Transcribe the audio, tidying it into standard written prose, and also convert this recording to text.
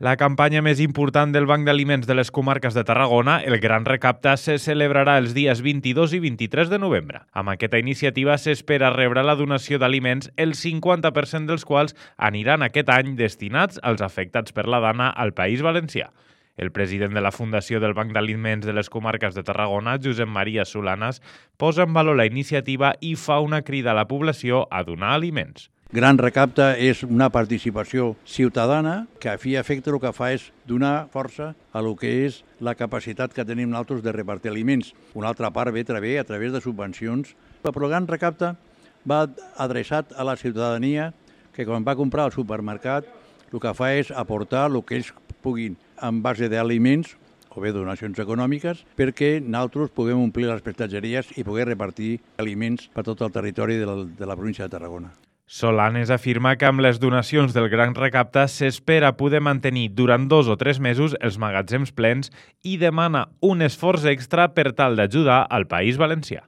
La campanya més important del Banc d'Aliments de les comarques de Tarragona, el Gran Recapta, se celebrarà els dies 22 i 23 de novembre. Amb aquesta iniciativa s'espera rebre la donació d'aliments, el 50% dels quals aniran aquest any destinats als afectats per la dana al País Valencià. El president de la Fundació del Banc d'Aliments de les comarques de Tarragona, Josep Maria Solanas, posa en valor la iniciativa i fa una crida a la població a donar aliments. Gran Recapta és una participació ciutadana que a fi i efecte el que fa és donar força a lo que és la capacitat que tenim nosaltres de repartir aliments. Una altra part ve a través de subvencions. Però el Gran Recapta va adreçat a la ciutadania que quan va comprar al supermercat el que fa és aportar el que ells puguin en base d'aliments o bé donacions econòmiques perquè nosaltres puguem omplir les prestatgeries i poder repartir aliments per tot el territori de la província de Tarragona. Solanes afirma que amb les donacions del Gran Recapta s'espera poder mantenir durant 2 o 3 mesos els magatzems plens i demana un esforç extra per tal d'ajudar al País Valencià.